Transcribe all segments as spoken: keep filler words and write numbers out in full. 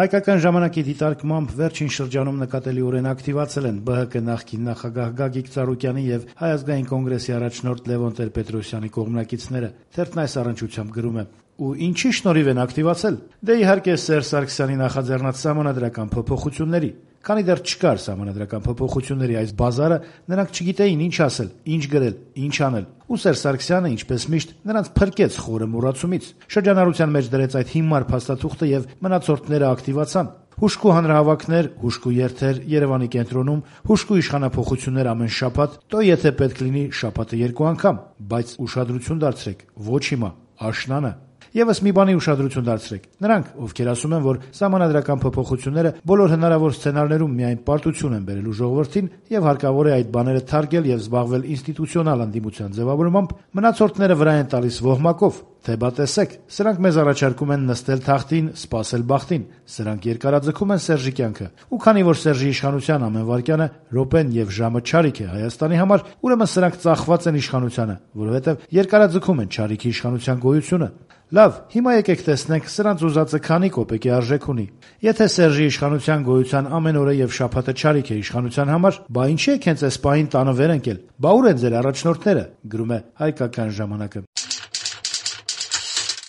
Հայկական ժամանակի դիտարկմամբ վերջին շրջանում նկատելիորեն ակտիվացել են Բ Հ Կ նախկին նախագահ Գագիկ Ծառուկյանի եւ Հայ ազգային կոնգրեսի առաջնորդ Լևոն Տեր-Պետրոսյանի կողմնակիցները։ Թերթն այս առնչությամբ գրում է. Ու ինչի շնորհիվ են ակտիվացել։ Դե իհարկե Սերժ Սարգսյանի նախաձեռնած սահմանադրական փոփոխությունների։ Քանի դեռ չկար սահմանադրական փոփոխությունների այս բազարը, նրանք չգիտեին ինչ ասել, ինչ գրել, ինչ անել։ Ու Սերժ Սարգսյանը, ինչպես միշտ, նրանց փրկեց խորը մոռացումից։ Շրջանառության մեջ դրեց այդ հիմար փաստաթուղթը եւ մնացորդները ակտիվացան։ Հուշկու հանրահավաքներ, հուշկու երթեր Երևանի կենտրոնում, հուշկու իշխանափոխություններ ամեն շաբաթ, տո եթե պետք լինի շաբաթը երկու անգամ, բայց ուշադրություն դարձրեք, ոչ հիմա, աշնանը։ Եվս մի բանի ուշադրություն դարձրեք։ Նրանք, ովքեր ասում են, որ սահմանադրական փոփոխությունները բոլոր հնարավոր սցենարներում միայն պարտություն են բերելու ժողովրդին եւ հարկավոր է այդ բաները թարգել եւ զբաղվել ինստիտուցիոնալ անդիմության ձևավորմամբ, մնացորդները վրա են տալիս ոհմակով, թե բա տեսեք, սրանք մեզ առաջարկում են նստել թախտին, սպասել բախտին, սրանք երկարաձգում են Սերժի կյանքը։ Ու քանի որ Սերժի իշխանության ամեն վայրկյանը, րոպեն եւ ժամը չարիք է Հայաստանի համար, ուրեմն սրանք ծախված են իշխանությանը, որովհետեւ երկարաձգում են չարիքի իշխանության գոյությունը։ Լավ, հիմա եկեք տեսնենք սրանց ուզածը քանի կոպեկի արժեք ունի։ Եթե Սերժի իշխանության գոյության ամեն օրը եւ շաբաթը չարիք է իշխանության համար, բա ինչի եք հենց այս պահին տանը վեր ընկել։ Բա ուր են ձեր առաջնորդները, գրում է Հայկական ժամանակը։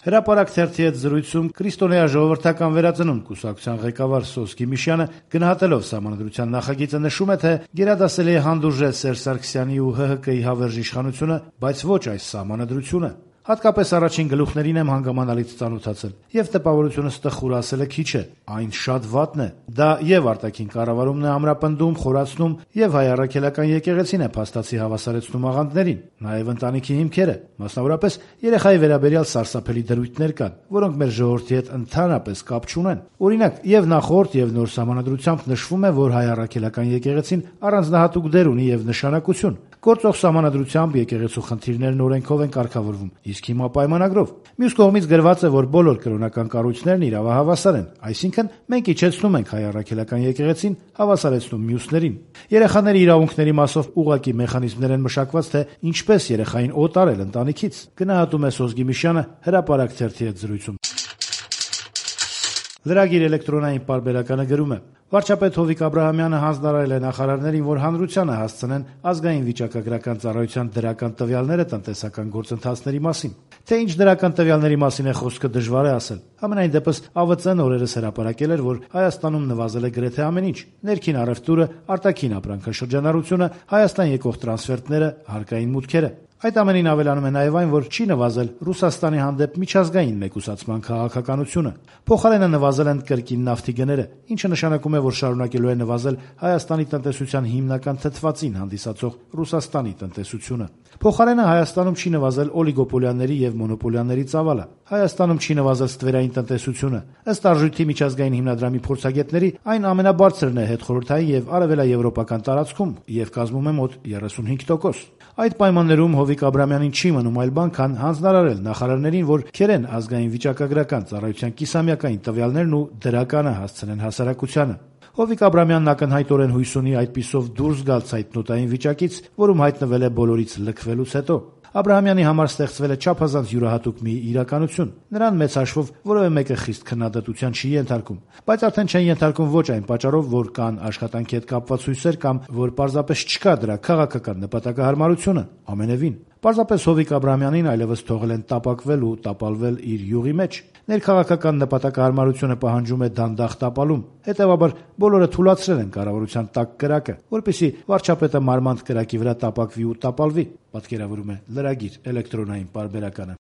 Հրապարակ թերթի հետ զրույցում Քրիստոնեա ժողովրդական վերածնունդ կուսակցության ղեկավար Սոս Գիմիշյանը գնահատելով սահմանադրության նախագիծը նշում է, թե գերադասելի է հանդուրժել Սերժ Սարգսյանի ու Հ Հ Կի հավերժ իշխանությունը, բայց ոչ այս սահմանադրությունը։ Հատկապես առաջին գլուխներին եմ հանգամանալից ծանոթացել, եւ տպավորությունս տխուր ասելը քիչ է, այն շատ վատն է։ Դա եւ արտաքին կառավարումն է ամրապնդում, խորացնում, եւ հայ առաքելական եկեղեցին է փաստացի հավասարեցնում աղանդներին, նաեւ ընտանիքի հիմքերը, մասնավորապես երեխայի վերաբերյալ սարսափելի դրույթներ կան, որոնք մեր ժողովրդի հետ ընդհանրապես կապ չունեն։ Օրինակ, եւ նախորդ եւ նոր սահմանադրությամբ նշվում է, որ հայ առաքելական եկեղեցին առանձնահատուկ դեր ունի եւ նշանակություն։ Գործող սահմանադրությամբ եկեղեցու խնդիրներն օրենքով են կարգավորվում, իսկ հիմա պայմանագրով։ Մյուս կողմից գրված է, որ բոլոր կրոնական կառույցներն իրավահավասար են, այսինքն մենք իջեցնում ենք հայ առաքելական եկեղեցին, հավասարեցնում մյուսներին։ Երեխաների իրավունքների մասով ուղղակի մեխանիզմներ են մշակված, թե ինչպես երեխային օտարել ընտանիքից, գնահատում է Սոս Գիմիշյանը Հրապարակ թերթի հետ զրույցում։ Լրագիր էլեկտրոնային պարբերականը գրում է. Վարչապետ Հովիկ Աբրահամյանը հանձնարարել է նախարարներին, որ հանրությանը հասցնեն ազգային վիճակագրական ծառայության դրական տվյալները տնտեսական գործընթացների մասին։ Թե ինչ դրական տվյալների մասին է խոսքը, դժվար է ասել։ Համենայն դեպս Ա V Ծ-ն օրերս հրապարակել էր, որ Հայաստանում նվազել է գրեթե ամեն ինչ՝ ներքին առևտուրը, արտաքին ապրանքաշրջանառությունը, Հայաստան եկող տրանսֆերտները, հարկային մուտքերը։ Այդ ամենին ավելանում է նաև այն, որ չի նվազել Ռուսաստանի հանդեպ միջազգային մեկուսացման քաղաքականությունը։ Փոխարենը նվազել են կրկին նավթի գները, ինչը նշանակում է, որ շարունակելու է նվազել Հայաստանի տնտեսության հիմնական թթվածին հանդիսացող Ռուսաստանի տնտեսությունը։ Փոխարենը Հայաստանում չի նվազել օլիգոպոլիաների եւ մոնոպոլիաների ծավալը։ Հայաստանում չի նվազել ստվերային տնտեսությունը։ Ըստ Արժույթի միջազգային հիմնադրամի փորձագետների, այն ամենաբարձրն է հետխորհրդային եւ արևելաեվրոպական տարածքում եւ կազմում է մոտ երեսունհինգ տոկոս։ Այդ պայմաններում Հովիկ Աբրահամյանին չի մնում այլ բան, քան հանձնարարել նախարարներին, որ քերեն ազգային վիճակագրական ծառայության կիսամյակային տվյալներն ու դրականը հասցնեն հասարակությանը։ Հովիկ Աբրահամյանն ակնհայտորեն հույս ունի այդպիսով դուրս գալ ցայտնոտային վիճակից, որում հայտնվել է բոլորից լքվելուց հետո։ Աբրահամյանի համար ստեղծվել է չափազանց յուրահատուկ մի իրականություն։ Նրան մեծ հաշվով որևէ մեկը խիստ քննադատության չի ենթարկում, բայց արդեն չեն ենթարկում ոչ այն պատճառով, որ կան աշխատանքի հետ կապված հույսեր կամ որ պարզապես չկա դրա քաղաքական նպատակահարմարությունը, ամենևին։ Պարզապես Հովիկ Աբրահամյանին այլևս թողել են տապակվել ու տապալվել իր յուղի մեջ։ Ներքաղաքական նպատակահարմարությունը պահանջում է դանդաղ տապալում։ Հետևաբար բոլորը թուլացրել են կառավարության տակ կրակը, որպեսզի վարչապետը մարմանդ կրակի վրա տապակվի ու տապալվի, պատկերավորում է լրագիր էլեկտրոնային պարբերականը։